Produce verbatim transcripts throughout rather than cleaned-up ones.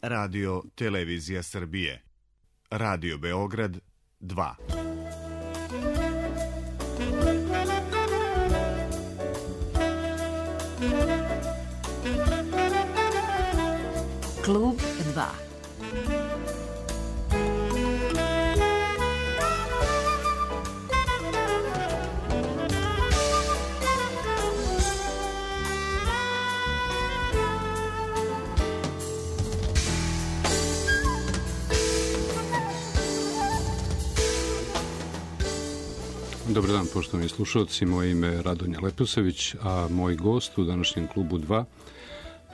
Radio Televizija Srbije. Radio Beograd dva. Klub dva. Dobar dan, poštovani slušalci, moje ime je Radonja Leposavić, a moj gost u današnjem klubu dva,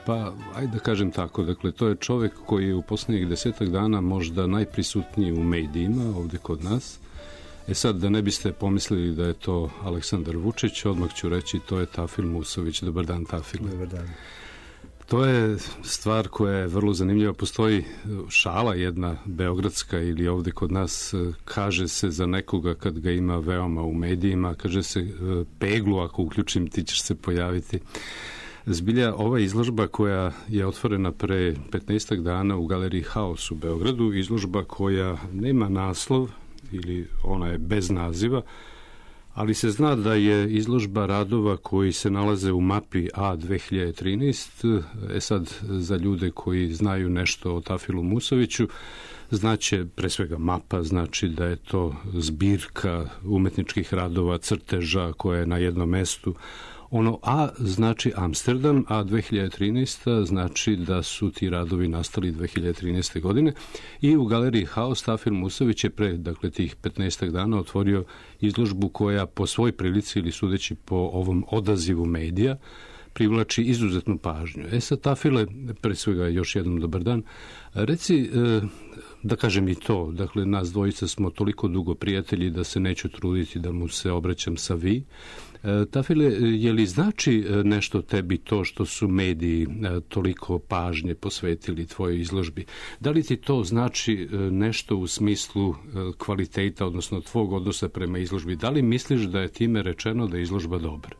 pa ajde da kažem tako, dakle, to je čovek koji je u poslednjih desetak dana možda najprisutniji u medijima ovde kod nas. E sad, da ne biste pomislili da je to Aleksandar Vučić, odmah ću reći, to je Tafil Musović. Dobar dan, Tafile. Dobar dan. To je stvar koja je vrlo zanimljiva. Postoji šala jedna beogradska ili ovde kod nas, kaže se za nekoga kad ga ima veoma u medijima, kaže se peglu, ako uključim ti ćeš se pojaviti. Zbilja, ova izložba koja je otvorena pre petnaestak dana u galeriji Haos u Beogradu, izložba koja nema naslov ili ona je bez naziva, ali se zna da je izložba radova koji se nalaze u mapi A dve hiljade trinaest. E sad, za ljude koji znaju nešto o Tafilu Musoviću, znaće pre svega mapa, znači da je to zbirka umetničkih radova, crteža koja je na jednom mestu. Ono A znači Amsterdam, a dve hiljade trinaesta znači da su ti radovi nastali dve hiljade trinaeste. godine i u galeriji Haos Tafil Musović je pre, dakle, tih petnaestak dana otvorio izložbu koja po svoj prilici ili sudeći po ovom odazivu medija privlači izuzetnu pažnju. E sad, Tafile, pre svega još jednom dobar dan, reci, da kažem i to, dakle, nas dvojica smo toliko dugo prijatelji da se neću truditi da mu se obraćam sa vi. Tafile, je li znači nešto tebi to što su mediji toliko pažnje posvetili tvojoj izložbi? Da li ti to znači nešto u smislu kvaliteta, odnosno tvog odnosa prema izložbi? Da li misliš da je time rečeno da je izložba dobra?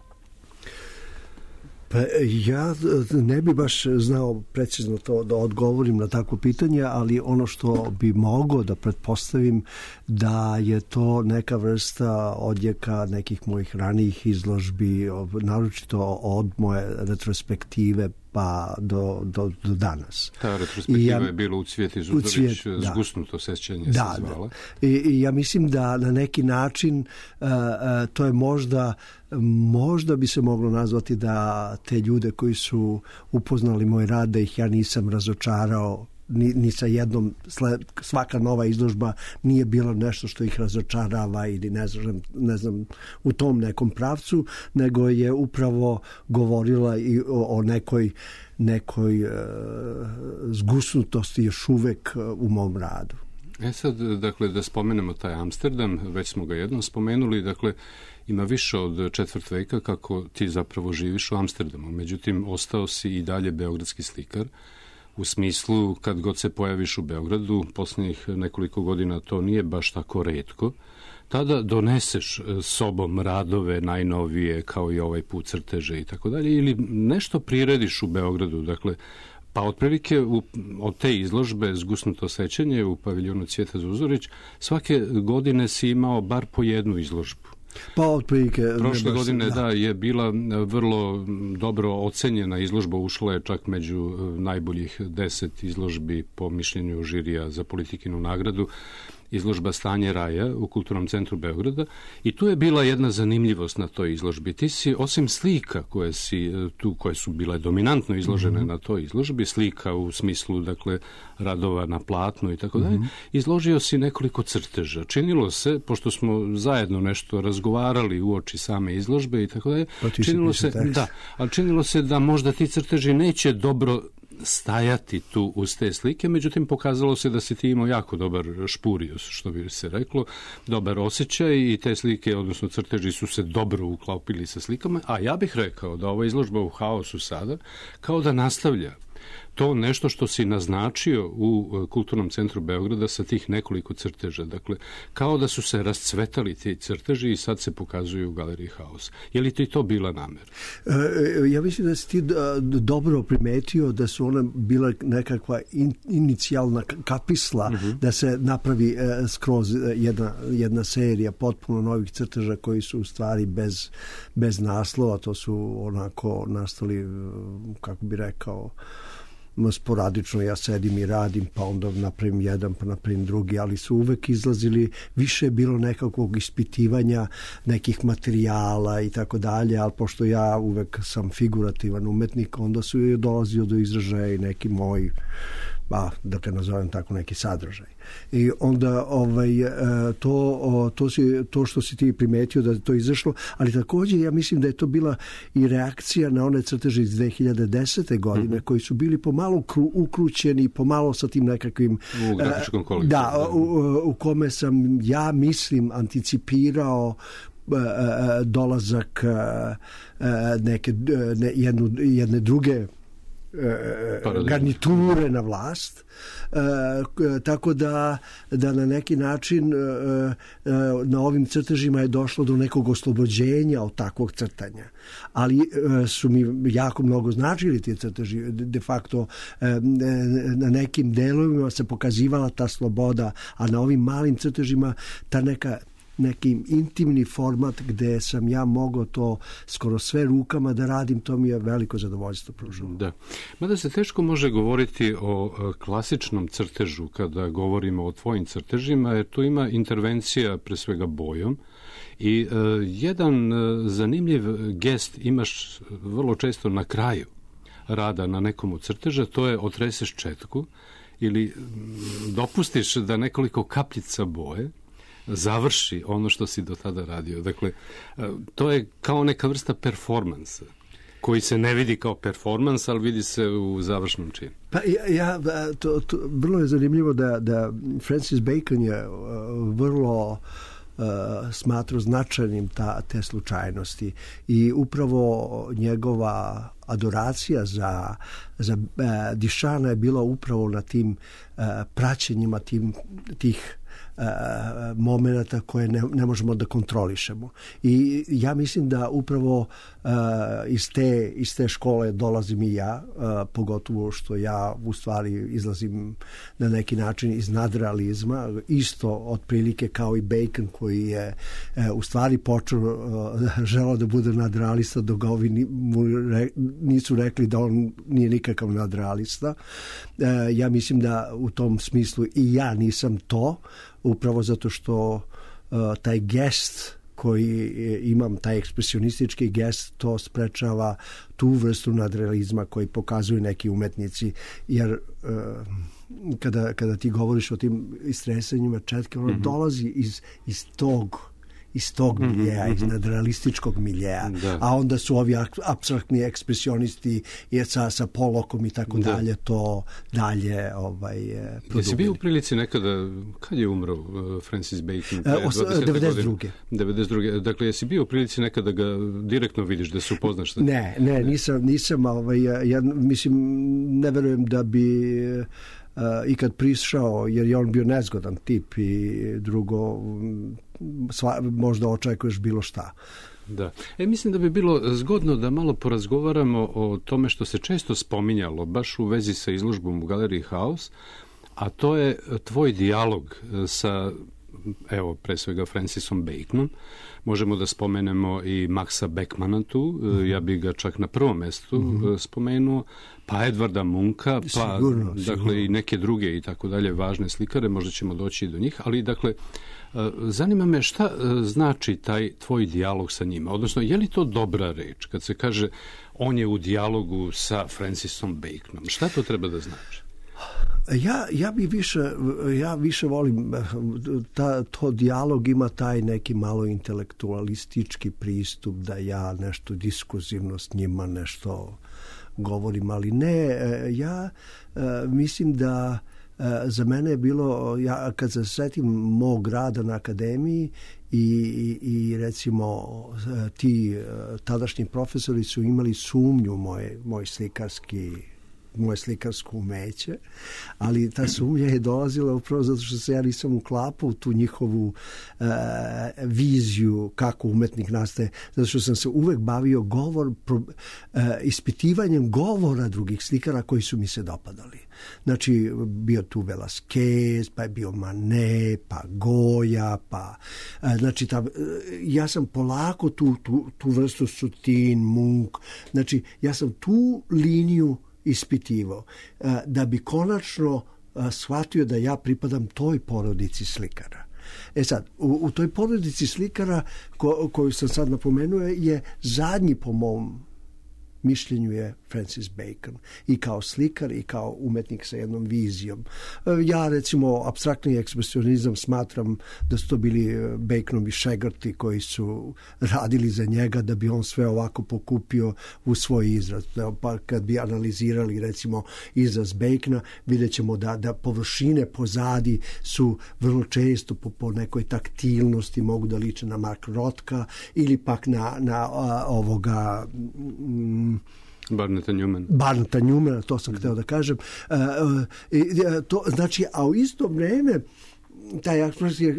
Pa ja ne bi baš znao precizno to da odgovorim na takvo pitanje, ali ono što bi mogao da pretpostavim da je to neka vrsta odjeka nekih mojih ranijih izložbi, naročito od moje retrospektive pa do, do, do danas. Ta retrospektiva ja, je bila u Cvijeti Zuzorić, da. Zgusnuto sećanje da, se zvala. Da. I, I ja mislim da na neki način uh, uh, to je možda možda bi se moglo nazvati da te ljude koji su upoznali moj rad, da ih ja nisam razočarao ni, ni sa jednom, svaka nova izložba nije bilo nešto što ih razočarava ili ne znam, ne znam u tom nekom pravcu, nego je upravo govorila i o, o nekoj nekoj uh, zgusnutosti još uvek u mom radu. E sad, dakle, da spomenemo taj Amsterdam, već smo ga jednom spomenuli, dakle, ima više od četvrt veka kako ti zapravo živiš u Amsterdamu, međutim, ostao si i dalje beogradski slikar, u smislu kad god se pojaviš u Beogradu, poslednjih nekoliko godina to nije baš tako retko, tada doneseš sobom radove najnovije, kao i ovaj put crteže i tako dalje, ili nešto prirediš u Beogradu, dakle, pa otprilike u, od te izložbe Zgusnuto sećanje u paviljonu Cvijeta Zuzorić, svake godine si imao bar po jednu izložbu. Pa otprilike... Prošle godine, da. da, je bila vrlo dobro ocenjena izložba, ušla je čak među najboljih deset izložbi po mišljenju žirija za Politikinu nagradu, izložba Stanje raja u Kulturnom centru Beograda, i tu je bila jedna zanimljivost na toj izložbi. Ti si, osim slika koje si tu, koje su bile dominantno izložene mm-hmm. na toj izložbi, slika u smislu, dakle, radova na platnu i tako dalje, izložio si nekoliko crteža. Činilo se, pošto smo zajedno nešto razgovarali uoči same izložbe i tako dalje, pa činilo se, da, ali činilo se da možda ti crteži neće dobro stajati tu uz te slike, međutim pokazalo se da si ti imao jako dobar špurijus, što bi se reklo, dobar osjećaj, i te slike, odnosno crteži, su se dobro uklopili sa slikama, a ja bih rekao da ova izložba u Haosu sada kao da nastavlja to nešto što si naznačio u Kulturnom centru Beograda sa tih nekoliko crteža. Dakle, kao da su se rascvetali ti crteži i sad se pokazuju u Galeriji Haus. Je li ti to bila namera? E, ja mislim da si ti dobro primetio da su ona bila nekakva in, inicijalna kapisla uh-huh. da se napravi e, skroz jedna, jedna serija potpuno novih crteža koji su u stvari bez, bez naslova. To su onako nastali, kako bi rekao, sporadično, ja sedim i radim, pa onda napravim jedan, pa napravim drugi, ali su uvek izlazili, više je bilo nekakvog ispitivanja nekih materijala i tako dalje, ali pošto ja uvek sam figurativan umetnik, onda su je dolazio do izražaja i neki moj, ba, da te nazovem tako, neki sadržaj. I onda ovaj, to, to, si, to što si ti primetio da je to izašlo, ali također ja mislim da je to bila i reakcija na one crteže iz dve hiljade desete godine, mm-hmm. koji su bili pomalo kru, ukrućeni, pomalo sa tim nekakvim... U grafičkom kolektivu. Da, u, u kome sam, ja mislim, anticipirao dolazak neke, ne, jednu, jedne druge Paradigma. garniture na vlast, e, tako da, da na neki način e, e, na ovim crtežima je došlo do nekog oslobođenja od takvog crtanja. Ali e, su mi jako mnogo značili ti crteži. De facto e, na nekim delovima se pokazivala ta sloboda, a na ovim malim crtežima ta neka neki intimni format gde sam ja mogao to skoro sve rukama da radim, to mi je veliko zadovoljstvo pružilo. Da. Mada se teško može govoriti o klasičnom crtežu kada govorimo o tvojim crtežima, jer tu ima intervencija pre svega bojom i uh, jedan uh, zanimljiv gest imaš vrlo često na kraju rada na nekom od crteža, to je otreseš četku ili dopustiš da nekoliko kapljica boje završi ono što si do tada radio. Dakle, to je kao neka vrsta performansa, koji se ne vidi kao performans, ali vidi se u završnom činu. Pa ja, ja to, to, vrlo je zanimljivo da, da Francis Bacon je vrlo uh, smatrao značajnim ta, te slučajnosti i upravo njegova adoracija za, za uh, Duchampa je bila upravo na tim uh, praćenjima tim, tih Uh, momenata koje ne, ne možemo da kontrolišemo. I ja mislim da upravo uh, iz, te, iz te škole dolazim i ja, uh, pogotovo što ja u stvari izlazim na neki način iz nadrealizma, isto otprilike kao i Bacon koji je uh, u stvari počeo uh, želao da bude nadrealista dok ga ovi ni, mu re, nisu rekli da on nije nikakav nadrealista. Uh, ja mislim da u tom smislu i ja nisam to, upravo zato što uh, taj gest koji imam, taj ekspresionistički gest, to sprečava tu vrstu nadrealizma koji pokazuju neki umetnici, jer uh, kada, kada ti govoriš o tim istresanjima četke, ono mm-hmm. dolazi iz, iz tog iz tog miljeja, mm-hmm. iz nadrealističkog miljeja, da. A onda su ovi apstraktni ekspresionisti sa, sa Polokom i tako da. dalje, to dalje ovaj, produbili. Jesi bio u prilici nekada, kad je umro uh, Francis Bacon? devedeset druge devedeset druge Dakle, jesi bio u prilici nekada ga direktno vidiš, da se upoznaš? Ne, ne, ne, nisam, nisam ovaj, ja mislim, ne verujem da bi Uh, i kad prišao, jer je on bio nezgodan tip i drugo, sva, možda očekuješ bilo šta. Da. E, mislim da bi bilo zgodno da malo porazgovaramo o tome što se često spominjalo, baš u vezi sa izložbom u Galeriji Haus, a to je tvoj dijalog sa, evo, pre svega Francisom Baconom. Možemo da spomenemo i Maxa Beckmana tu, mm-hmm. ja bih ga čak na prvom mestu mm-hmm. spomenuo, pa Edvarda Munka, pa sigurno, dakle sigurno. i neke druge i tako dalje važne slikare, možda ćemo doći i do njih, ali dakle zanima me šta znači taj tvoj dijalog sa njima, odnosno je li to dobra reč kad se kaže on je u dijalogu sa Francisom Baconom, šta to treba da znači? Ja, ja bi više, ja više volim, ta, to dijalog ima taj neki malo intelektualistički pristup, da ja nešto diskurzivno s njima nešto govorim, ali ne, ja mislim da za mene je bilo, ja kad se setim mog rada na akademiji i, i, i recimo ti tadašnji profesori su imali sumnju moj, moj slikarski moje slikarsko umeće, ali ta sumnja je dolazila upravo zato što se ja nisam uklapao u tu njihovu e, viziju kako umetnik nastaje, zato što sam se uvek bavio govor, pro, e, ispitivanjem govora drugih slikara koji su mi se dopadali. Znači, bio tu Velasquez, pa je bio Manet, pa Goya, pa... E, znači, ta, ja sam polako tu, tu, tu vrstu Sutin, Munch, znači, ja sam tu liniju ispitivao, da bi konačno shvatio da ja pripadam toj porodici slikara. E sad, u, u toj porodici slikara ko, koju sam sad napomenuo je zadnji po mom mišljenju je Francis Bacon. I kao slikar i kao umetnik sa jednom vizijom. Ja recimo apstraktni ekspresionizam smatram da su to bili Baconovi šegrti koji su radili za njega da bi on sve ovako pokupio u svoj izraz. Pa kad bi analizirali recimo izraz Bacona, vidjet ćemo da, da površine pozadi su vrlo često po, po nekoj taktilnosti mogu da liče na Mark Rothka ili pak na, na a, ovoga... Mm, Barneta Newman. Barneta Newmana, to sam hteo da kažem. Uh, uh, to, znači, a u isto vreme taj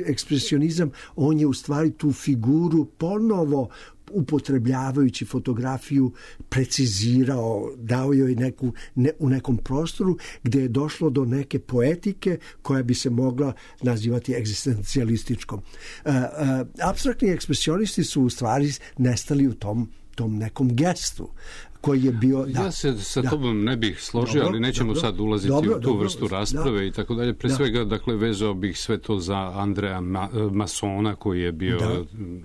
ekspresionizam, on je u stvari tu figuru ponovo upotrebljavajući fotografiju precizirao, dao joj neku, ne, u nekom prostoru gde je došlo do neke poetike koja bi se mogla nazivati egzistencijalističkom. Uh, uh, apstraktni ekspresionisti su u stvari nestali u tom tom nekom gestu koji je bio... Ja da, se sa da. tobom ne bih složio, dobro, ali nećemo dobro, sad ulaziti dobro, u tu dobro, vrstu rasprave da, i tako dalje. Pre da. svega, dakle, vezao bih sve to za Andreja Ma, Masona, koji je bio da.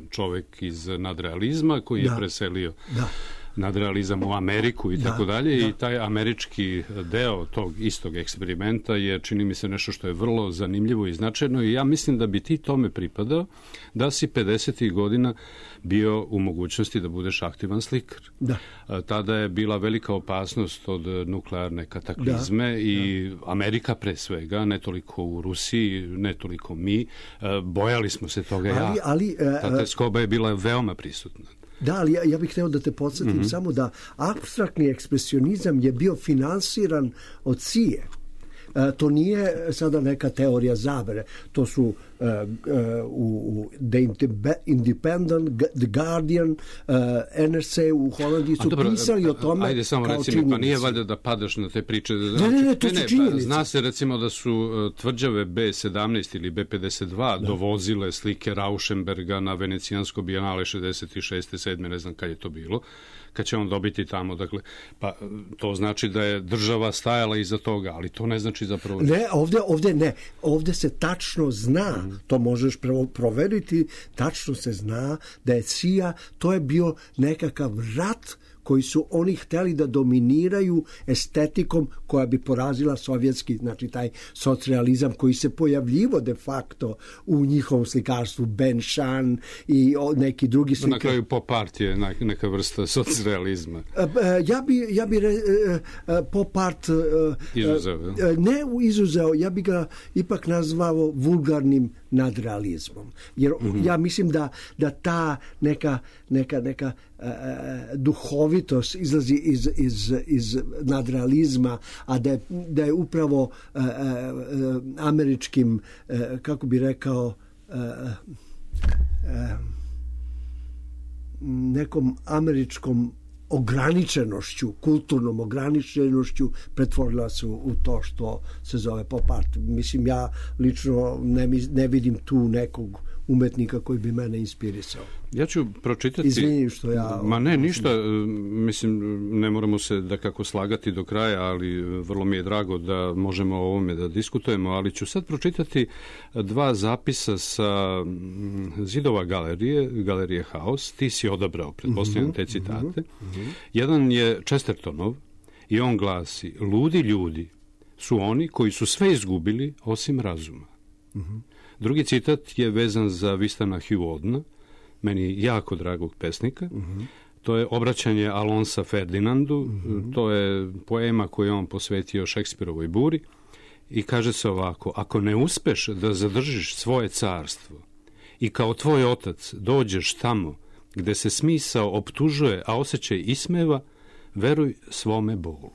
čovek iz nadrealizma, koji da. je preselio da. nadrealizam u Ameriku i da, tako dalje. Da. I taj američki deo tog istog eksperimenta je, čini mi se, nešto što je vrlo zanimljivo i značajno i ja mislim da bi ti tome pripadao da si pedesetih godina bio u mogućnosti da budeš aktivan slikar. Da. Tada je bila velika opasnost od nuklearne kataklizme da. i da. Amerika pre svega, ne toliko u Rusiji, ne toliko mi. Bojali smo se toga ali, ja. Ali, Ta teskoba je bila veoma prisutna. Da, ali ja, ja bih hteo da te podsjetim mm-hmm. samo da apstraktni ekspresionizam je bio finansiran od C I A. E, to nije sada neka teorija zavere. To su uh, uh, u The Independent, The Guardian, uh, N R C u Holandiji su dobro, pisali o tome. Ajde samo kao recimo, činjenici. Pa nije valjda da padaš na te priče. Ne, ne, ne, to ne, su činjenice. Pa, zna se recimo da su uh, tvrđave B sedamnaest ili B pedeset dva da. dovozile slike Rauschenberga na Venecijansko bijenale šezdeset šeste sedme ne znam kad je to bilo, kad će on dobiti tamo. Dakle, pa to znači da je država stajala iza toga, ali to ne znači zapravo... Ne, ovde, ovde ne. Ovde se tačno zna, mm. to možeš proveriti, tačno se zna da je C I A, to je bio nekakav rat koji su oni hteli da dominiraju estetikom koja bi porazila sovjetski, znači taj socrealizam koji se pojavljivo de facto u njihovom slikarstvu, Ben Shahn i neki drugi slikar. Na kraju pop art je neka vrsta socrealizma. Ja bi, ja bi re, pop art izuzeo. Ne izuzeo, ja bi ga ipak nazvao vulgarnim nadrealizmom. Jer mm-hmm. ja mislim da, da ta neka, neka, neka uh, duhovitost izlazi iz, iz, iz nadrealizma, a da je, da je upravo uh, uh, američkim, uh, kako bi rekao, uh, uh, nekom američkom ograničenošću, kulturnom ograničenošću pretvorila se u to što se zove pop art. Mislim, ja lično ne, ne vidim tu nekog umetnika koji bi mene inspirisao. Ja ću pročitati... Izvini što ja... Ma ne, ništa. Mislim, ne moramo se da kako slagati do kraja, ali vrlo mi je drago da možemo o ovome da diskutujemo, ali ću sad pročitati dva zapisa sa zidova galerije, galerije Haus. Ti si odabrao, pretpostavljam, te citate. Mm-hmm. Jedan je Chestertonov i on glasi: ludi ljudi su oni koji su sve izgubili osim razuma. Mm-hmm. Drugi citat je vezan za Vistana Hugh-Audena, meni jako dragog pesnika. Mm-hmm. To je obraćanje Alonsa Ferdinandu, mm-hmm. to je poema koju on posvetio Šekspirovoj buri i kaže se ovako: ako ne uspeš da zadržiš svoje carstvo i kao tvoj otac dođeš tamo gde se smisao optužuje, a osjećaj ismeva, veruj svome bolu.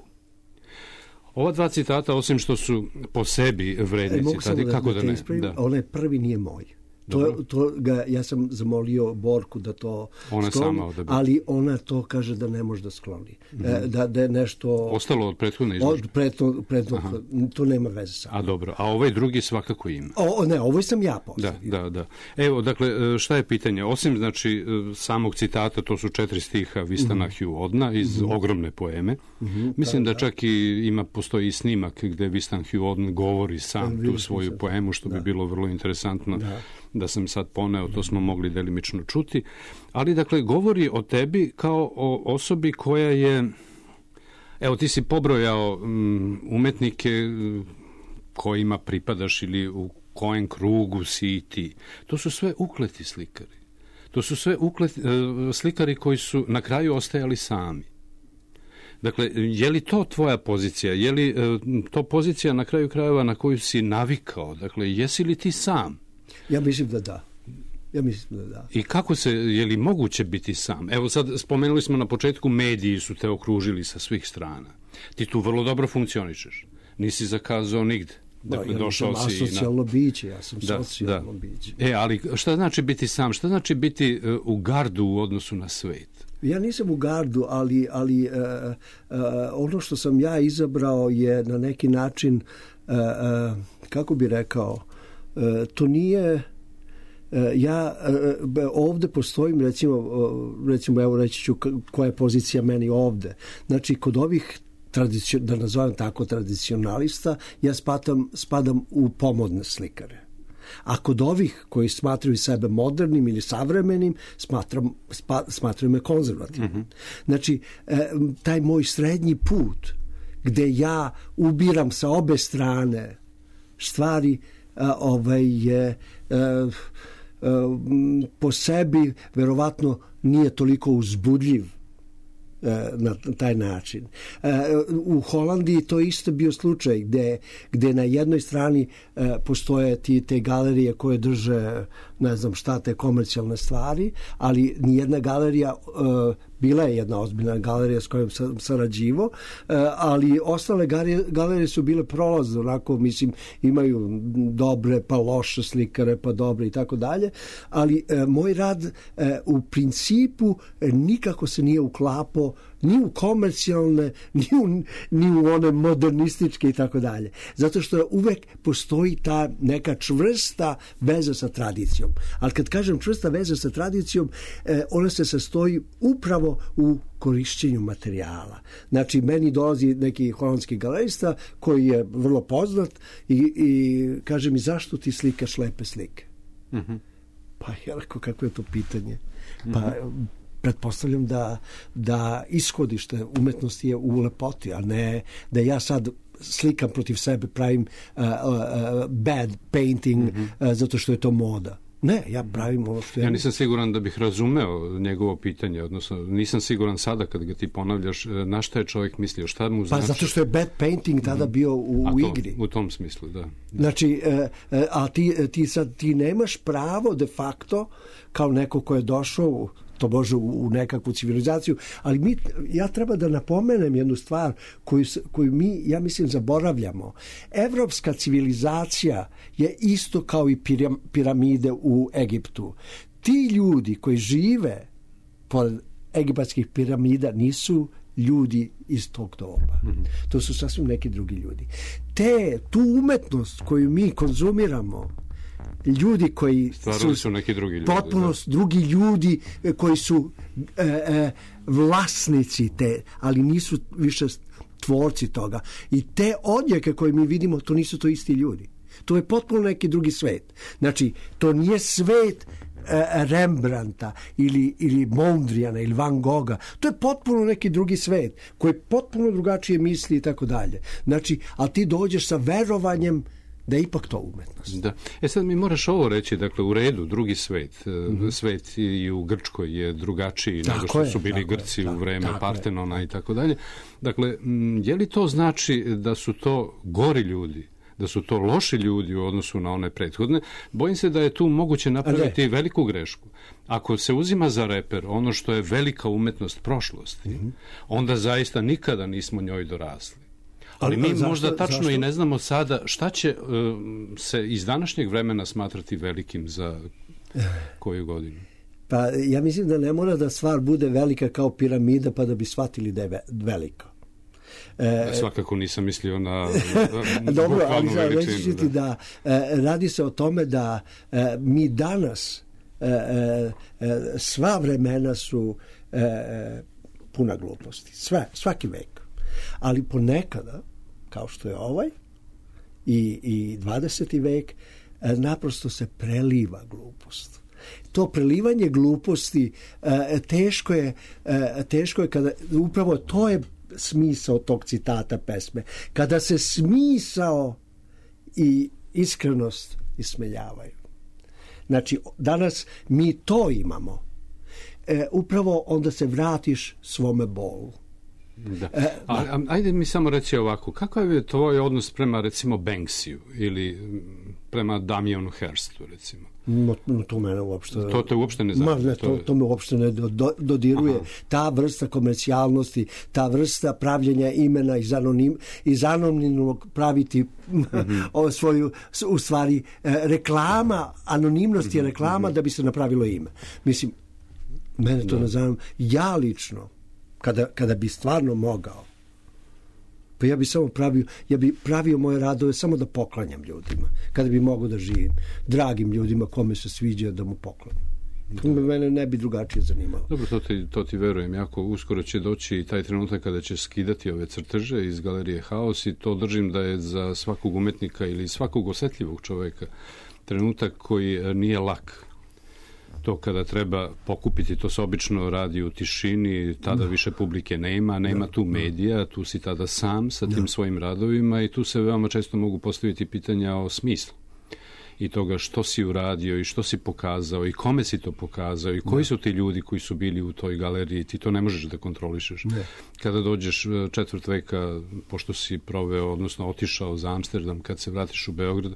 Ova dva citata, osim što su po sebi vredni e, citati, da, kako da, da ne? Da. Onaj prvi nije moj. To, to ga, ja sam zamolio Borku da to ona skloni, sama ali ona to kaže da ne može da skloni. Mm-hmm. E, da, da je nešto... Ostalo od prethodne izložbe? Od prethodne, prethodne, to nema veze sa. A dobro, a ovaj drugi svakako ima. O, ne, ovo sam ja postavio. Da, da, da. Evo, dakle, šta je pitanje? Osim, znači, samog citata, to su četiri stiha Vistana mm-hmm. Hugh Odna iz mm-hmm. ogromne poeme. Mm-hmm, Mislim da, da čak i ima, postoji i snimak gde Vistan Hugh Odn govori sam da, tu svoju sam. poemu, što da. bi bilo vrlo interesantno. Da. da sam sad poneo, to smo mogli delimično čuti, ali dakle govori o tebi kao o osobi koja je, evo ti si pobrojao um, umetnike kojima pripadaš ili u kojem krugu si ti. To su sve ukleti slikari. To su sve ukleti, uh, slikari koji su na kraju ostajali sami. Dakle, je li to tvoja pozicija? Je li uh, to pozicija na kraju krajeva na koju si navikao? Dakle, jesi li ti sam? Ja mislim da da. Ja mislim da da. I kako se, je li moguće biti sam? Evo sad spomenuli smo na početku, mediji su te okružili sa svih strana. Ti tu vrlo dobro funkcionišeš. Nisi zakazao nigde. Dakle, da, ja došao sam si asocijalno na... biće, ja sam da, socijalno da. biće. E, ali šta znači biti sam? Šta znači biti uh, u gardu u odnosu na svet? Ja nisam u gardu, ali, ali uh, uh, ono što sam ja izabrao je na neki način, uh, uh, kako bi rekao, Uh, to nije uh, ja uh, ovde postojim recimo, uh, recimo evo reći ću koja je pozicija meni ovde. Znači kod ovih tradicio, da nazovem tako tradicionalista, ja spadam, spadam u pomodne slikare. A kod ovih koji smatraju sebe modernim ili savremenim, smatram, spa, smatram me konzervativnim. Mm-hmm. Znači uh, taj moj srednji put gde ja ubiram sa obe strane stvari A, ovaj je e, e, po sebi verovatno nije toliko uzbudljiv e, na taj način. E, u Holandiji to isto bio slučaj gde, gde na jednoj strani e, postoje ti, te galerije koje drže ne znam šta, te komercijalne stvari, ali nijedna galerija e, bila je jedna ozbiljna galerija s kojom sam sarađivao, ali ostale galerije su bile prolazne, onako, mislim, imaju dobre pa loše slikare, pa dobre i tako dalje, ali moj rad u principu nikako se nije uklapao ni u komercijalne, ni u, ni u one modernističke i tako dalje. Zato što uvek postoji ta neka čvrsta veza sa tradicijom. Ali kad kažem čvrsta veza sa tradicijom, ona se sastoji upravo u korišćenju materijala. Znači, meni dolazi neki holandski galerista koji je vrlo poznat i, i kaže mi, zašto ti slikaš lepe slike? Mm-hmm. Pa ja rekao, kako je to pitanje? Pa mm-hmm. pretpostavljam da, da ishodište umetnosti je u lepoti, a ne da ja sad slikam protiv sebe, pravim uh, uh, bad painting mm-hmm. uh, zato što je to moda. Ne, ja pravim ovo što... Ja nisam siguran da bih razumeo njegovo pitanje, odnosno nisam siguran sada kad ga ti ponavljaš na šta je čovjek mislio, šta mu znači... Pa zato što je bad painting tada bio u, to, u igri. U tom smislu, da. Znači, a ti, ti sad ti nemaš pravo de facto kao neko ko je došao to može u, u nekakvu civilizaciju, ali mi, ja treba da napomenem jednu stvar koju, koju mi, ja mislim, zaboravljamo. Evropska civilizacija je isto kao i piramide u Egiptu. Ti ljudi koji žive pored egipatskih piramida nisu ljudi iz tog doba. Mm-hmm. To su sasvim neki drugi ljudi. Te, tu umetnost koju mi konzumiramo, ljudi koji su, su neki drugi ljudi, potpuno da. drugi ljudi koji su e, e, vlasnici te, ali nisu više tvorci toga. I te odjeke koje mi vidimo, to nisu to isti ljudi. To je potpuno neki drugi svet. Znači, to nije svet e, Rembrandta ili, ili Mondrijana ili Van Gogha. To je potpuno neki drugi svet koji potpuno drugačije misli i tako dalje. Znači, ali ti dođeš sa verovanjem da je ipak to umetnost. Da. E sad mi moraš ovo reći, dakle, u redu, drugi svet, mm-hmm. svet i u Grčkoj je drugačiji tako nego što je, su bili Grci je, u vreme Partenona je. I tako dalje. Dakle, je li to znači da su to gori ljudi, da su to loši ljudi u odnosu na one prethodne? Bojim se da je tu moguće napraviti veliku grešku. Ako se uzima za reper ono što je velika umetnost prošlosti, mm-hmm. onda zaista nikada nismo njoj dorasli. Ali mi zašto, možda tačno zašto? i ne znamo sada šta će uh, se iz današnjeg vremena smatrati velikim za koju godinu. Pa ja mislim da ne mora da stvar bude velika kao piramida pa da bi shvatili da je velika. E, Svakako nisam mislio na dobro, ali reći ću ti da e, radi se o tome da e, mi danas e, e, sva vremena su e, puna gluposti. Sve, svaki vek. Ali ponekada, kao što je ovaj i, i dvadeseti vek, e, naprosto se preliva glupost. To prelivanje gluposti e, teško je, e, teško je kada, upravo to je smisao tog citata pesme. Kada se smisao i iskrenost ismeljavaju. Znači, danas mi to imamo. E, upravo onda se vratiš svome bolu. Da. E, a, ajde mi samo reći ovako, kakav je tvoj odnos prema recimo Banksiju ili prema Damianu Hirstu recimo? No, to mene uopšte... To te uopšte ne zanima? Ne, to, to me uopšte ne do, dodiruje. Aha. Ta vrsta komercijalnosti, ta vrsta pravljenja imena iz, anonim, iz anonimnog praviti mm-hmm. svoju, u stvari, reklama, anonimnost je reklama mm-hmm. da bi se napravilo ime. Mislim, mene to da. ne zanima. Ja lično, kada, kada bi stvarno mogao, pa ja bi samo pravio, ja bi pravio moje radove samo da poklanjam ljudima. Kada bi mogao da živim, dragim ljudima kome se sviđa da mu poklanjam. To me mene ne bi drugačije zanimalo. Dobro, to ti, to ti verujem. Jako uskoro će doći i taj trenutak kada će skidati ove crteže iz galerije Haos i to držim da je za svakog umetnika ili svakog osetljivog čoveka trenutak koji nije lak. To kada treba pokupiti, to se obično radi u tišini, tada više publike nema, nema tu medija, tu si tada sam sa tim svojim radovima i tu se veoma često mogu postaviti pitanja o smislu i toga što si uradio i što si pokazao i kome si to pokazao i koji su ti ljudi koji su bili u toj galeriji, ti to ne možeš da kontrolišeš. Ne. Kada dođeš četvrt veka, pošto si proveo, odnosno otišao za Amsterdam, kad se vratiš u Beograd,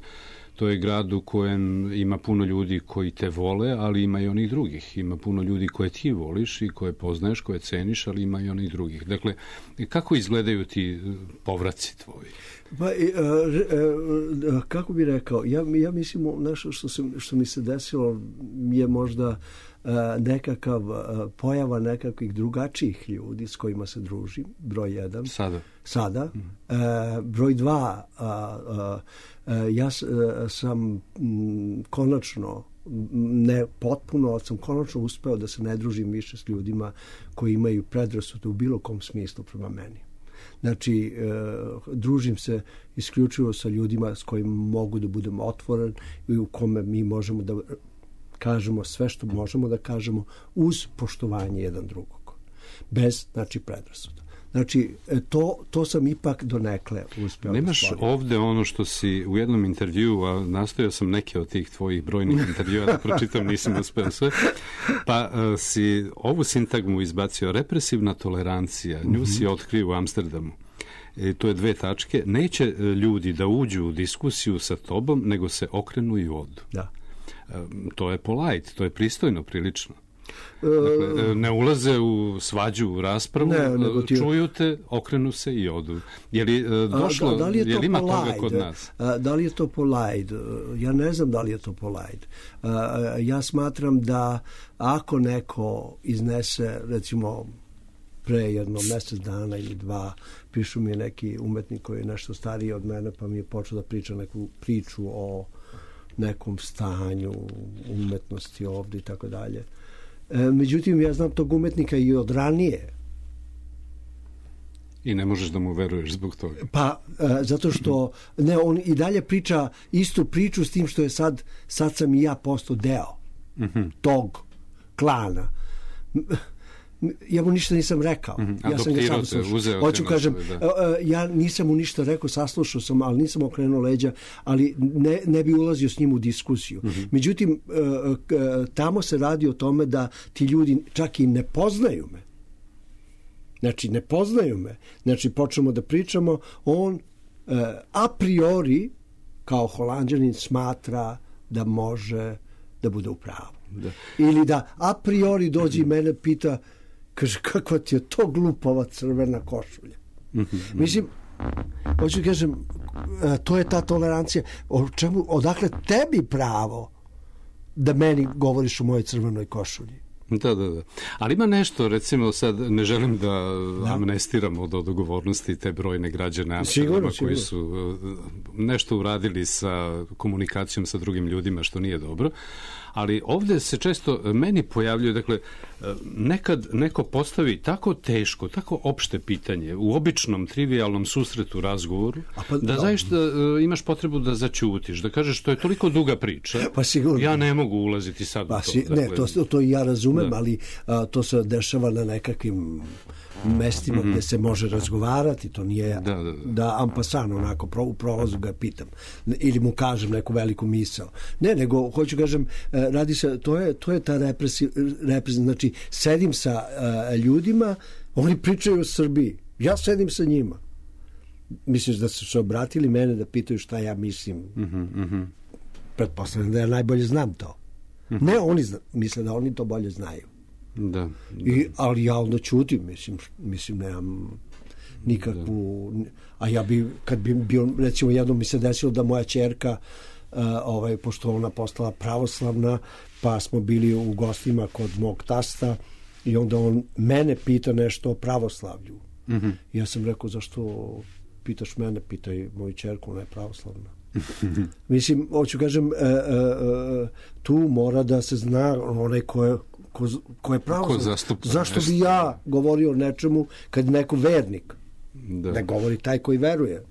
to je grad u kojem ima puno ljudi koji te vole, ali ima i onih drugih. Ima puno ljudi koje ti voliš i koje poznaješ, koje ceniš, ali ima i onih drugih. Dakle, kako izgledaju ti povraci tvoji? Pa, e, e, kako bi rekao, ja, ja mislim nešto što, se, što mi se desilo je možda e, nekakav e, pojava nekakvih drugačijih ljudi s kojima se družim, broj jedan. Sada. Sada. Mm. E, broj dva, a, a, a, ja sam m, konačno, ne potpuno, ali sam konačno uspeo da se ne družim više s ljudima koji imaju predrasude u bilo kom smislu prema meni. Znači, e, družim se isključivo sa ljudima s kojima mogu da budem otvoren i u kome mi možemo da kažemo sve što možemo da kažemo uz poštovanje jedan drugog. Bez, znači, predrasuda. Znači, to, to sam ipak donekle uspeo. Nemaš ovde ono što si u jednom intervjuu, a nastojao sam neke od tih tvojih brojnih intervjua da pročitam, nisam uspeo sve, pa uh, si ovu sintagmu izbacio, represivna tolerancija, nju si otkrio u Amsterdamu. E, to je dve tačke. Neće ljudi da uđu u diskusiju sa tobom, nego se okrenu i odu. Da. Uh, to je polite, to je pristojno, prilično. Dakle, ne ulaze u svađu, u raspravu, ne, čuju te, okrenu se i odu. Je li došlo, da, da li je, je li ima polite? Toga kod nas? Da li je to polite? Ja ne znam da li je to polite. Ja smatram da ako neko iznese, recimo, pre jedno mjesec dana ili dva, pišu mi neki umetnik koji je nešto stariji od mene, pa mi je počeo da priča neku priču o nekom stanju umetnosti ovdje i tako dalje. Međutim, ja znam tog umetnika i od ranije. I ne možeš da mu veruješ zbog toga. Pa, zato što ne, on i dalje priča istu priču s tim što je sad, sad sam i ja postao deo mm-hmm. tog klana. Ja mu ništa nisam rekao. Mm-hmm. Ja sam ga sam slušao. Hoću kažem, da. ja nisam mu ništa rekao, saslušao sam, ali nisam okrenuo leđa, ali ne, ne bi ulazio s njim u diskusiju. Mm-hmm. Međutim, tamo se radi o tome da ti ljudi čak i ne poznaju me. Znači, ne poznaju me. Znači, počnemo da pričamo, on a priori, kao Holanđanin, smatra da može da bude u pravu. Da. Ili da a priori dođe i mene pita, kaže, kakva ti je to glupava crvena košulja. Mm-hmm. Mislim, Hoću kažem, to je ta tolerancija. O čemu, odakle tebi pravo da meni govoriš o mojoj crvenoj košulji? Da, da, da. Ali ima nešto, recimo sad, ne želim da, da. amnestiramo od odgovornosti te brojne građane Amsterdama koji su nešto uradili sa komunikacijom sa drugim ljudima, što nije dobro. Ali ovdje se često meni pojavljuje, dakle, nekad neko postavi tako teško, tako opšte pitanje u običnom, trivialnom susretu, razgovoru, pa, da no. zaista imaš potrebu da zaćutiš, da kažeš što je toliko duga priča, pa sigurno. Ja ne mogu ulaziti sad pa, u to. Si, dakle, ne, to, to ja razumem, da. ali a, to se dešava na nekakvim mestima mm-hmm. gdje se može razgovarati, to nije da, da, da. da ampasan, onako, pro, u prolazu ga pitam, ili mu kažem neku veliku misao. Ne, nego, hoću kažem, radi se, to je, to je ta represiv, represiv, znači, sedim sa uh, ljudima, oni pričaju o Srbiji, ja sedim sa njima. Misliš da su se obratili mene da pitaju šta ja mislim? Mm-hmm, mm-hmm. Pretpostavljam da ja najbolje znam to. Mm-hmm. Ne, oni zna, misle da oni to bolje znaju. Da, da. I, ali ja onda čutim, mislim, mislim nemam nikakvu, da. A ja bi, kad bi bio, recimo jednom mi se desilo da moja ćerka, uh, ovaj, pošto ona postala pravoslavna, pa smo bili u gostima kod mog tasta i onda on mene pita nešto o pravoslavlju. Mm-hmm. Ja sam rekao, zašto pitaš mene, pitaj moju ćerku, ona je pravoslavna. Mislim, hoću kažem, uh, uh, uh, tu mora da se zna onaj ko je Ko, ko je pravo, zašto bi ja govorio o nečemu kad neko vernik da. ne govori taj koji veruje,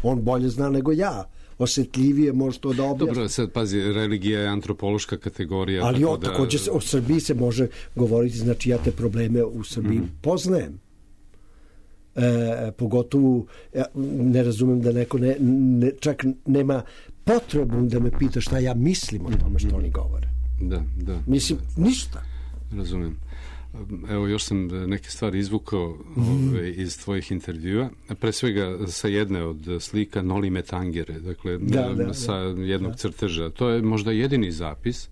on bolje zna nego ja, osjetljivije može to da objasni. Dobro, sad pazi, religija je antropološka kategorija, ali tako o, da... također o Srbiji se može govoriti, znači ja te probleme u Srbiji mm. poznajem, e, pogotovo ja ne razumem da neko ne, ne, čak nema potrebu da me pita šta ja mislim o tome što oni govore. Da, da. Mislim, da. ništa. Razumijem. Evo, još sam neke stvari izvukao mm. ove, iz tvojih intervjua. Pre svega sa jedne od slika Noli Me Tangere, dakle, da, da, sa da. jednog da. crteža. To je možda jedini zapis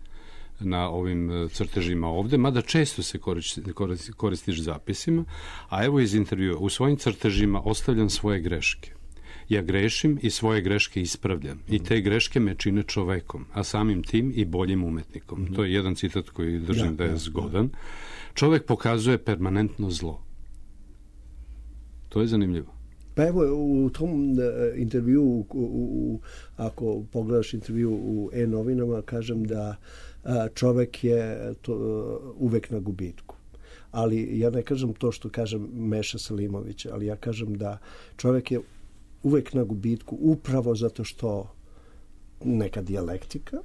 na ovim crtežima ovde, mada često se koristi, koristiš zapisima, a evo iz intervjua. U svojim crtežima ostavljam svoje greške. Ja grešim i svoje greške ispravljam. I te greške me čine čovekom, a samim tim i boljim umetnikom. Mm-hmm. To je jedan citat koji držim ja, da je ja, zgodan. Ja. Čovek pokazuje permanentno zlo. To je zanimljivo. Pa evo, u tom uh, intervju, u, u, ako pogledaš intervju u E-novinama, kažem da uh, čovek je to, uh, uvek na gubitku. Ali ja ne kažem to što kažem Meša Selimović, ali ja kažem da čovek je uvek na gubitku upravo zato što neka dijalektika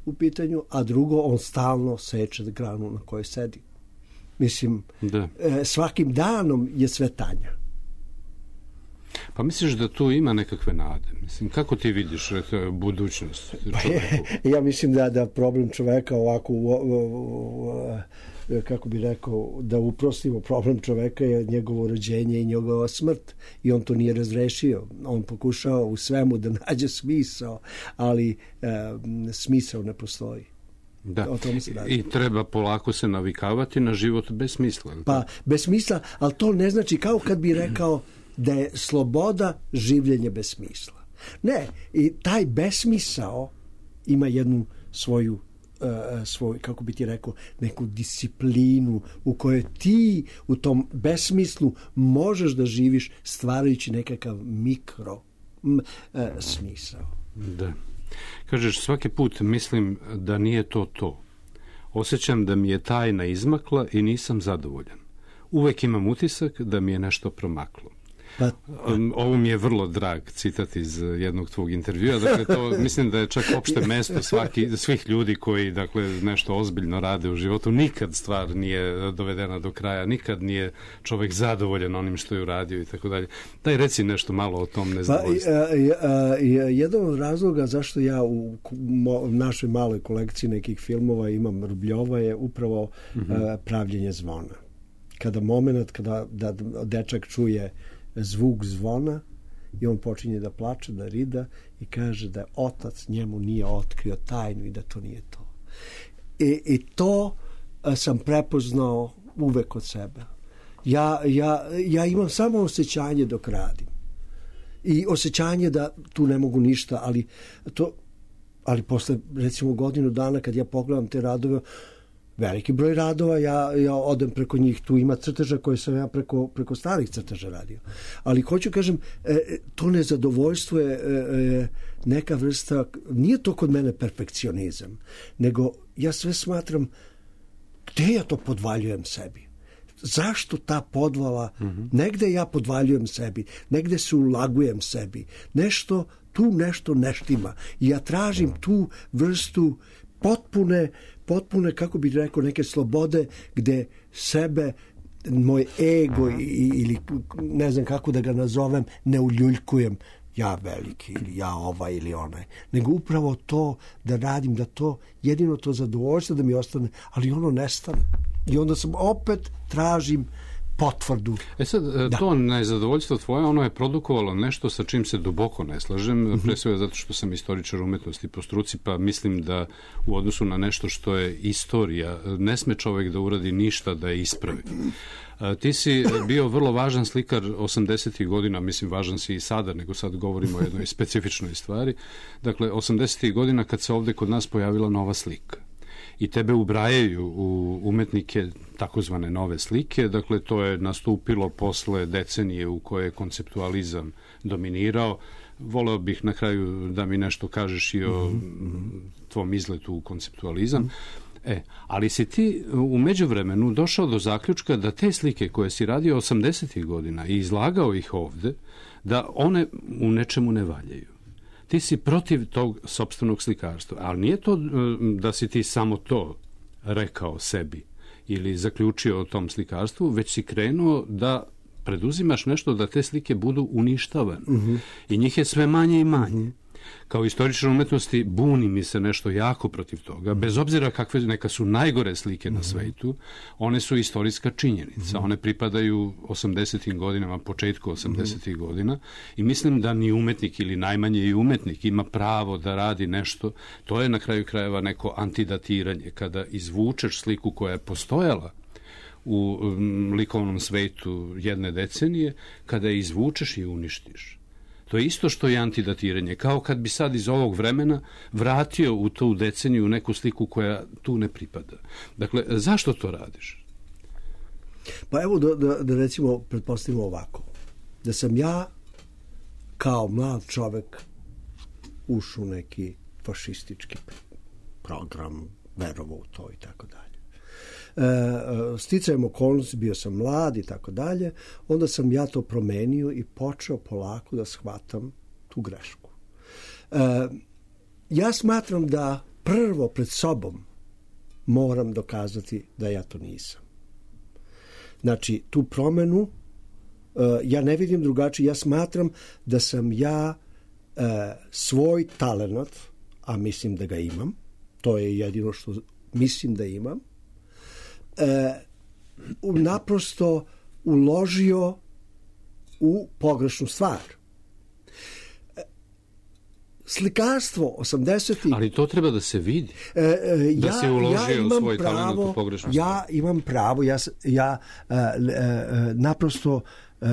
u pitanju, a drugo on stalno seče granu na kojoj sedi. Mislim, da. E, svakim danom je sve tanja. Pa misliš da tu ima nekakve nade? Mislim, kako ti vidiš eto, budućnost? Pa je, ja mislim da, da problem čoveka ovako u, u, u, kako bi rekao, da uprostimo, problem čoveka je njegovo rođenje i njegova smrt i on to nije razrešio. On pokušao u svemu da nađe smisao, ali e, smisao ne postoji. Da. I treba polako se navikavati na život bez smisla. Pa, bez smisla, ali to ne znači kao kad bi rekao da je sloboda življenje bez smisla. Ne, i taj besmisao ima jednu svoju Uh, svoj, kako bi ti rekao, neku disciplinu u kojoj ti u tom besmislu možeš da živiš stvarajući nekakav mikro m, uh, smisao. Da. Kažeš, svaki put mislim da nije to to. Osjećam da mi je tajna izmakla i nisam zadovoljan. Uvek imam utisak da mi je nešto promaklo. Pa, ovo mi je vrlo drag citat iz jednog tvog intervjua, dakle to mislim da je čak opšte mesto svaki, svih ljudi koji dakle nešto ozbiljno rade u životu. Nikad stvar nije dovedena do kraja, nikad nije čovjek zadovoljan onim što je uradio i tako dalje. Daj reci nešto malo o tom nezadovoljstvu. Pa, jedan od razloga zašto ja u našoj maloj kolekciji nekih filmova imam Rubljova je upravo mm-hmm. pravljenje zvona. Kada moment, kada da dečak čuje zvuk zvona i on počinje da plače, da rida i kaže da otac njemu nije otkrio tajnu i da to nije to. I, i to sam prepoznao uvek od sebe. Ja, ja, ja imam samo osjećanje dok radim. i osjećanje da tu ne mogu ništa, ali to, ali posle recimo godinu dana kad ja pogledam te radove, veliki broj radova, ja, ja odem preko njih, tu ima crteža koje sam ja preko, preko starih crteža radio. Ali hoću kažem, e, to nezadovoljstvo je e, neka vrsta, nije to kod mene perfekcionizam, nego ja sve smatram, gde ja to podvaljujem sebi? Zašto ta podvala? Mm-hmm. Negde ja podvaljujem sebi, negde se ulagujem sebi, nešto, tu nešto neštima. I ja tražim tu vrstu potpune, potpune, kako bih rekao, neke slobode gde sebe, moj ego i, ili ne znam kako da ga nazovem, ne uljuljkujem ja veliki ili ja ovaj ili onaj, nego upravo to da radim, da to jedino to zadovoljstvo da mi ostane, ali ono nestane. I onda sam opet tražim potvrdu. E sad, da. To nezadovoljstvo tvoje, ono je produkovalo nešto sa čim se duboko ne slažem, uh-huh. pre svega zato što sam istoričar umetnosti po struci, pa mislim da u odnosu na nešto što je istorija, ne sme čovjek da uradi ništa da je ispravi. Ti si bio vrlo važan slikar osamdesetih godina, mislim važan si i sada, nego sad govorimo o jednoj specifičnoj stvari. Dakle, osamdesetih godina kad se ovde kod nas pojavila nova slika i tebe ubrajaju u umetnike takozvane nove slike, dakle to je nastupilo posle decenije u koje je konceptualizam dominirao. Voleo bih na kraju da mi nešto kažeš i o mm-hmm. tvom izletu u konceptualizam. Mm-hmm. E, ali si ti u međuvremenu došao do zaključka da te slike koje si radio osamdesetih godina i izlagao ih ovde, da one u nečemu ne valjaju. Ti si protiv tog sopstvenog slikarstva, ali nije to da si ti samo to rekao sebi ili zaključio o tom slikarstvu, već si krenuo da preduzimaš nešto da te slike budu uništavane. Mm-hmm. I njih je sve manje i manje. Mm-hmm. Kao istoričar umetnosti buni mi se nešto jako protiv toga, bez obzira kakve neka su najgore slike na svetu, one su istorijska činjenica. One pripadaju osamdesetim godinama, početku osamdesetih godina i mislim da ni umetnik ili najmanje i umetnik ima pravo da radi nešto. To je na kraju krajeva neko antidatiranje, kada izvučeš sliku koja je postojala u likovnom svetu jedne decenije, kada je izvučeš i uništiš. To je isto što je antidatiranje, kao kad bi sad iz ovog vremena vratio u tu deceniju neku sliku koja tu ne pripada. Dakle, zašto to radiš? Pa evo da, da, da recimo pretpostavimo ovako. Da sam ja kao mlad čovek ušao u neki fašistički program, verovao u to i tako dalje. E, sticajem okolnosti, bio sam mlad i tako dalje, onda sam ja to promenio i počeo polako da shvatam tu grešku. E, ja smatram da prvo pred sobom moram dokazati da ja to nisam. Znači, tu promenu e, ja ne vidim drugačije, ja smatram da sam ja e, svoj talenat, a mislim da ga imam, to je jedino što mislim da imam, E, naprosto uložio u pogrešnu stvar. E, slikarstvo osamdesetih... Ali to treba da se vidi. E, e, da ja, si uložio ja svoj pravo, talent u pogrešnu stvar. Ja imam pravo, ja, ja e, e, naprosto e,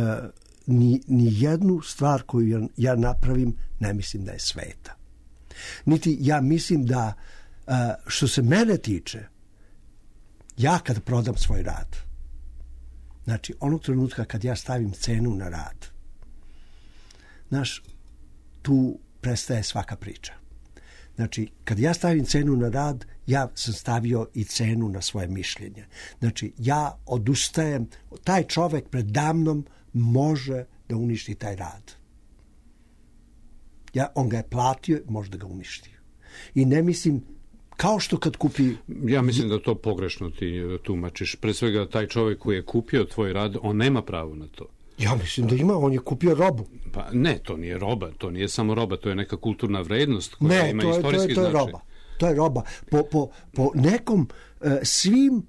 ni, ni jednu stvar koju ja, ja napravim ne mislim da je sveta. Niti ja mislim da e, što se mene tiče, ja kad prodam svoj rad, znači onog trenutka kad ja stavim cenu na rad, znaš, tu prestaje svaka priča. Znači, kad ja stavim cenu na rad, ja sam stavio i cenu na svoje mišljenje. Znači, ja odustajem, taj čovek predamnom može da uništi taj rad. Ja, on ga je platio, može da ga uništi. I ne mislim, kao što kad kupi... Ja mislim da to pogrešno ti tumačiš. Pre svega, taj čovjek koji je kupio tvoj rad, on nema pravo na to. Ja mislim da ima, on je kupio robu. Pa ne, to nije roba, to nije samo roba, to je neka kulturna vrednost koja ne, ima to je, istorijski to je, to je značaj. Roba. To je roba. Po, po, po nekom, uh, svim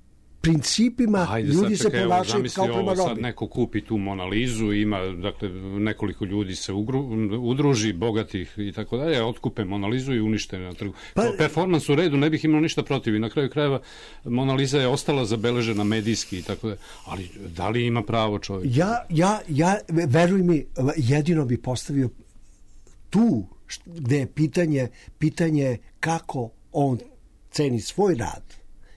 principima Ajde, ljudi sad, čekaj, se ponašaju kao prema ovo, robi. sad neko kupi tu Monalizu, ima, dakle, nekoliko ljudi se ugru, udruži, bogatih i tako dalje, otkupe Monalizu i unište na trgu. Pa, kao performans u redu, ne bih imao ništa protiv i na kraju krajeva Monaliza je ostala zabeležena medijski i tako dalje, ali da li ima pravo čovjek? Ja, ja, ja, veruj mi, jedino bi postavio tu gde je pitanje, pitanje kako on ceni svoj rad.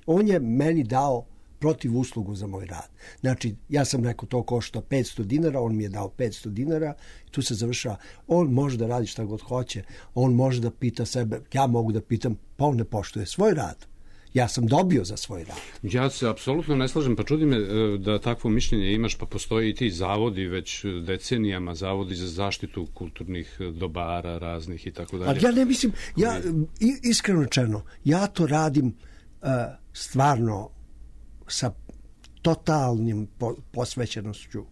On je meni dao protiv uslugu za moj rad. Znači, ja sam rekao to košta petsto dinara, on mi je dao petsto dinara, tu se završava. On može da radi šta god hoće, on može da pita sebe, ja mogu da pitam, pa on ne poštuje svoj rad. Ja sam dobio za svoj rad. Ja se apsolutno ne slažem, pa čudi me da takvo mišljenje imaš, pa postoji i ti zavodi već decenijama, zavodi za zaštitu kulturnih dobara raznih i tako dalje. Ali ja ne mislim, ja iskreno rečeno, ja to radim uh, stvarno sa totalnim po, posvećenošću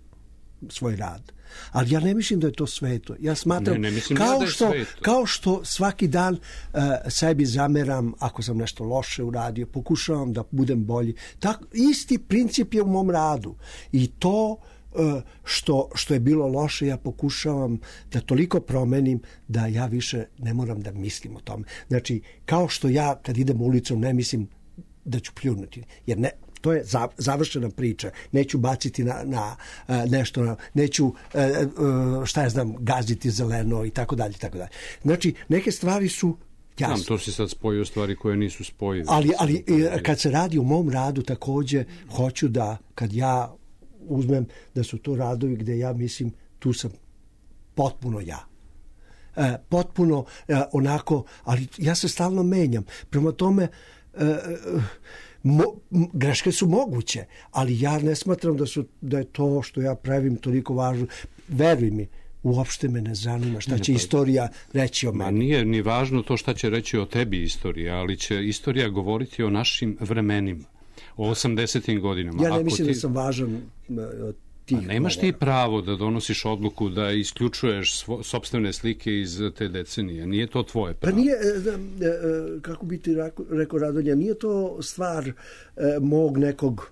svoj rad. Ali ja ne mislim da je to sveto. Ja smatram, ne, ne kao, da što, kao što svaki dan uh, sebi zameram ako sam nešto loše uradio, pokušavam da budem bolji. Tak, isti princip je u mom radu. I to uh, što, što je bilo loše, ja pokušavam da toliko promenim da ja više ne moram da mislim o tome. Znači, kao što ja kad idem ulicom ne mislim da ću pljunuti. Jer ne, to je završena priča. Neću baciti na, na uh, nešto, neću, uh, uh, šta ja znam, gaziti zeleno i tako dalje, tako dalje. Znači, neke stvari su jasne. Znam, to si sad spojio stvari koje nisu spojive. Ali, ali kad se radi o mom radu, takođe, hoću da, kad ja uzmem da su to radovi gde ja mislim, tu sam potpuno ja. Uh, potpuno uh, onako, ali ja se stalno menjam. Prema tome, uh, uh, Mo, greške su moguće, ali ja ne smatram da su da je to što ja pravim toliko važno. Veruj mi, uopšte me ne zanima šta će ne, pa, istorija reći o meni. Nije ni važno to šta će reći o tebi istorija, ali će istorija govoriti o našim vremenima, o osamdesetim godinama. Ja ne Ako mislim ti... da sam važan od A nemaš ti pravo da donosiš odluku da isključuješ svo, sopstvene slike iz te decenije. Nije to tvoje pravo. Pa nije, kako bi ti rekao Radonja, nije to stvar mog nekog,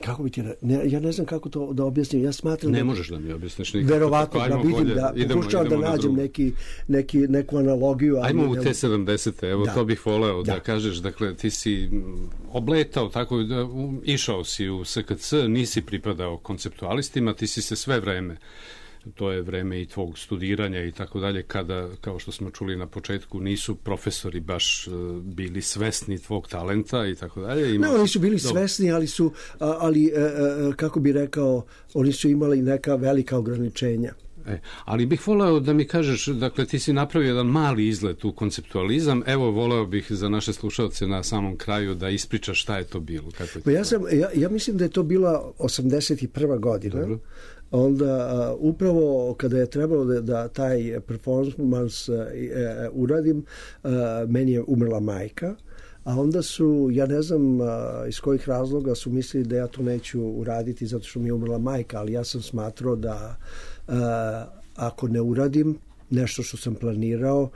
kako bi ti rekao, ja ne znam kako to da objasnim. Ja smatram ne da, možeš da mi objasniš nikako. Verovatno da vidim, bolje, da pokušavam da nađem neki, neki, neku analogiju. Ali ajmo u te sedamdesete, evo da. To bih voleo da. da kažeš, dakle ti si obletao, tako da išao si u S K C, nisi pripadao konceptualistima, ti si se sve vreme, to je vreme i tvog studiranja i tako dalje, kada, kao što smo čuli na početku, nisu profesori baš uh, bili svesni tvog talenta i tako dalje. Ne, oni su bili dobro. svesni, ali su, ali, uh, kako bi rekao, oni su imali neka velika ograničenja. E, ali bih voleo da mi kažeš, dakle ti si napravio jedan mali izlet u konceptualizam, evo voleo bih za naše slušalce na samom kraju da ispričaš šta je to bilo. Kako je pa ja, sam, ja, ja mislim da je to bila osamdeset prva godina. Dobro. Onda uh, upravo kada je trebalo da, da taj performans uh, uh, uradim, uh, meni je umrla majka, a onda su, ja ne znam uh, iz kojih razloga su mislili da ja to neću uraditi zato što mi je umrla majka, ali ja sam smatrao da uh, ako ne uradim nešto što sam planirao,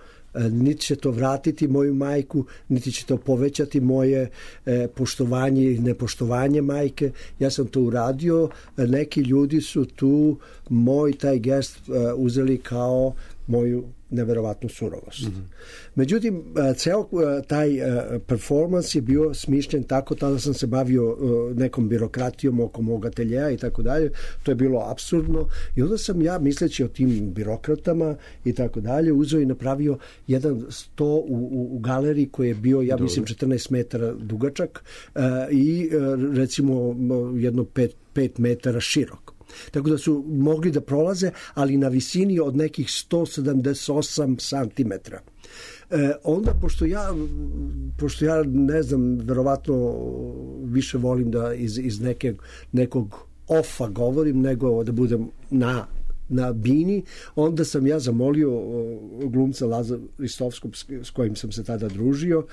niti će to vratiti moju majku, niti će to povećati moje e, poštovanje i nepoštovanje majke. Ja sam to uradio, neki ljudi su tu moj taj gest e, uzeli kao moju neverovatnu surovost. Mm-hmm. Međutim, ceo taj performans je bio smišljen tako, tada sam se bavio nekom birokratijom oko mog ateljeja i tako dalje, to je bilo apsurdno i onda sam ja, misleći o tim birokratama i tako dalje, uzeo i napravio jedan sto u, u, u galeriji koji je bio, ja Dobre. mislim, četrnaest metara dugačak i recimo jedno pet, pet metara širok. Tako da su mogli da prolaze, ali na visini od nekih sto sedamdeset osam santimetara. E, onda, pošto ja, pošto ja ne znam, verovatno više volim da iz, iz neke, nekog ofa govorim, nego da budem na na bini, onda sam ja zamolio glumca Lazara Ristovskog s kojim sam se tada družio,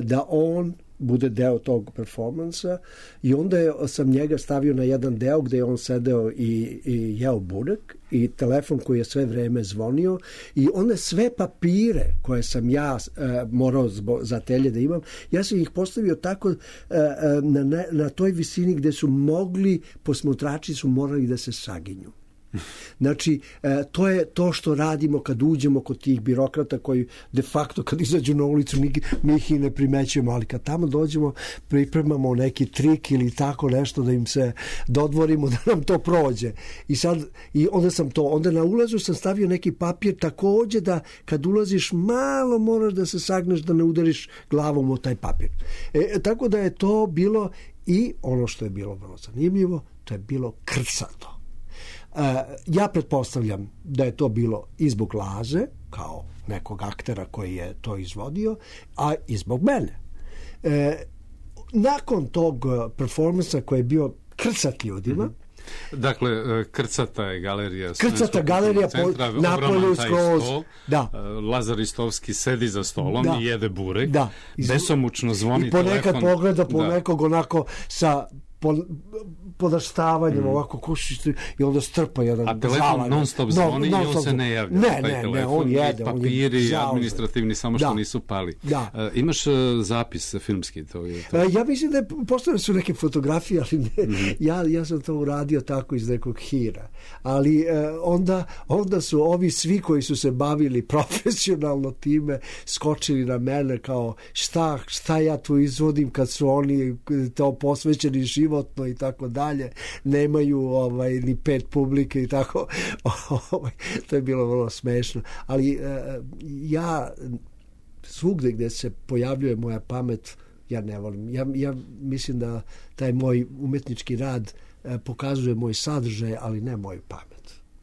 da on bude deo tog performansa i onda je, sam njega stavio na jedan deo gde je on sedeo i, i jeo burek i telefon koji je sve vreme zvonio i onda sve papire koje sam ja e, morao zbo, za telje da imam, ja sam ih postavio tako e, na, na, na toj visini gde su mogli, posmatrači su morali da se saginju. Znači, to je to što radimo kad uđemo kod tih birokrata koji de facto kad izađu na ulicu mi ih i ne primećujemo, ali kad tamo dođemo pripremamo neki trik ili tako nešto da im se dodvorimo da nam to prođe. I sad, i onda sam to, onda na ulazu sam stavio neki papir takođe da kad ulaziš malo moraš da se sagneš da ne udariš glavom o taj papir. E, tako da je to bilo i ono što je bilo vrlo zanimljivo, to je bilo krcato. Uh, ja pretpostavljam da je to bilo i zbog Laze, kao nekog aktera koji je to izvodio, a i zbog mene. Uh, nakon tog performansa koji je bio krcat ljudima, mm-hmm. Dakle, krcata je galerija. Krcata galerija centra, po napolju skroz. Da. Lazar Ristovski sedi za stolom da. i jede burek. Da. Besomučno zvoni telefon. I ponekad telefon. Pogleda po da. nekog onako sa podaštavanjem mm. ovako kušište i onda strpa jedan a telefon žalan. non stop zvoni no, non i on se ne javlja ne, ne, telefon, ne, on jede papiri on je administrativni samo što da. nisu pali da. Uh, imaš uh, zapis filmski to je to? Uh, ja mislim da postoje su neke fotografije ali ne, mm. ja, ja sam to uradio tako iz nekog hira ali uh, onda, onda su ovi svi koji su se bavili profesionalno time skočili na mene kao šta, šta ja tu izvodim kad su oni to posvećeni životno i tako dalje, nemaju ovaj, ni pet publike i tako ovaj, to je bilo vrlo smešno ali uh, ja svugde gde se pojavljuje moja pamet ja ne volim, ja, ja mislim da taj moj umetnički rad uh, pokazuje moj sadržaj ali ne moju pamet.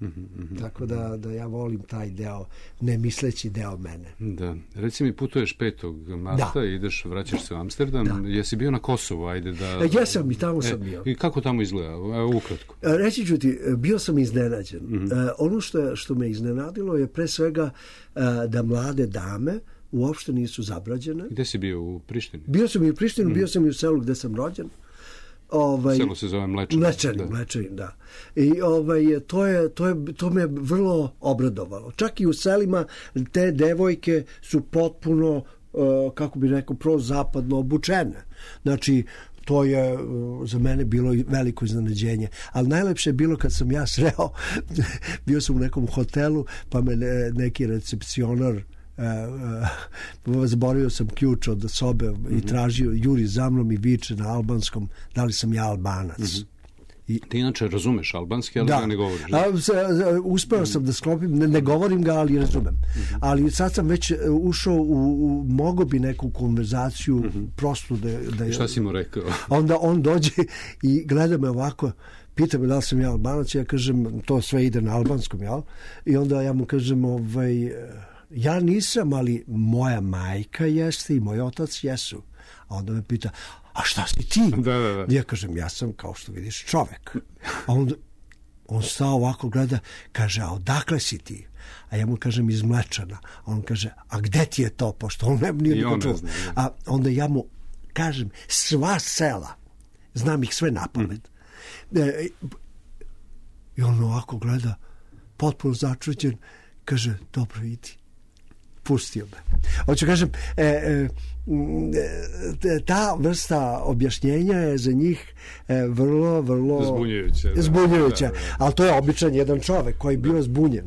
Mm-hmm, mm-hmm. Tako da, da ja volim taj deo, ne misleći deo mene. Da. Reci mi, putuješ petog marta da. i ideš, vraćaš se u Amsterdam. Da. Jesi bio na Kosovu? Ajde da... E, ja sam i tamo e, sam bio. I kako tamo izgleda? Evo, ukratko. E, reći ću ti, bio sam iznenađen. Mm-hmm. E, ono što, što me iznenadilo je pre svega e, da mlade dame uopšte nisu zabrađene. Gde si bio? U Prištini? Bio sam i u Prištini, mm-hmm. bio sam i u selu gde sam rođen. Ovaj, selo se zove Mlečani. Mlečani, da. Mlečani, da. I ovaj, to, je, to, je, to me vrlo obradovalo. Čak i u selima te devojke su potpuno, uh, kako bi rekao, prozapadno obučene. Znači, to je uh, za mene bilo veliko iznenađenje. Ali najlepše je bilo kad sam ja sreo, bio sam u nekom hotelu, pa me ne, neki recepcionar Uh, uh, zaboravio sam ključ od sobe mm-hmm. i tražio, juri za mnom i viče na albanskom da li sam ja Albanac. Mm-hmm. I, ti inače razumeš albanski, ali da. ga ne govoriš. Da? A, uspeo mm-hmm. sam da sklopim, ne, ne govorim ga, ali razumem. Mm-hmm. Ali sad sam već ušao u, u mogo bi neku konverzaciju mm-hmm. prostu da... da I šta si mu rekao? Onda on dođe i gleda me ovako, pita me da li sam ja Albanac, ja kažem, to sve ide na albanskom, jel? I onda ja mu kažem, ovaj... ja nisam, ali moja majka jeste i moj otac jesu. A onda me pita, a šta si ti? Da, da, da. Ja kažem, ja sam, kao što vidiš, čovek. A onda on stao ovako, gleda, kaže, a odakle si ti? A ja mu kažem, iz Mlečana. A on kaže, a gde ti je to? Pošto on ne nije niko čuo. A onda ja mu kažem, sva sela, znam ih sve na pamet. Mm. E, I on ovako gleda, potpuno začuđen, kaže, dobro, idi. Pustio me. Hoću kažem, e, e, ta vrsta objašnjenja je za njih e, vrlo, vrlo zbunjujuća. Da. Zbunjujuća. Da, da, da. Ali to je običan jedan čovek koji je bio da. zbunjen.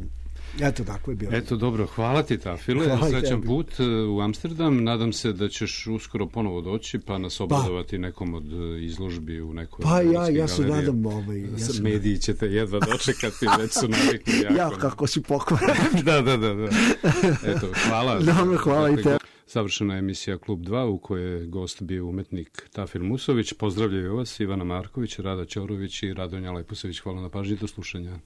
Eto, tako je bilo. Eto, dobro, hvala ti, Tafile. Srećan put u Amsterdam. Nadam se da ćeš uskoro ponovo doći pa nas obradovati pa. nekom od izložbi u nekoj pa ja, ja se nadam ovaj, ja se mediji ćete jedva dočekati, već su navikli jako. Ja, kako si pokvaren. da, da, da, da. Eto, hvala. Dobro, hvala i te. Savršena emisija Klub dva u kojoj je gost bio umetnik Tafil Musović. Pozdravljaju vas Ivana Marković, Rada Ćorović i Radonja Leposević. Hvala na pažnji, do slušanja.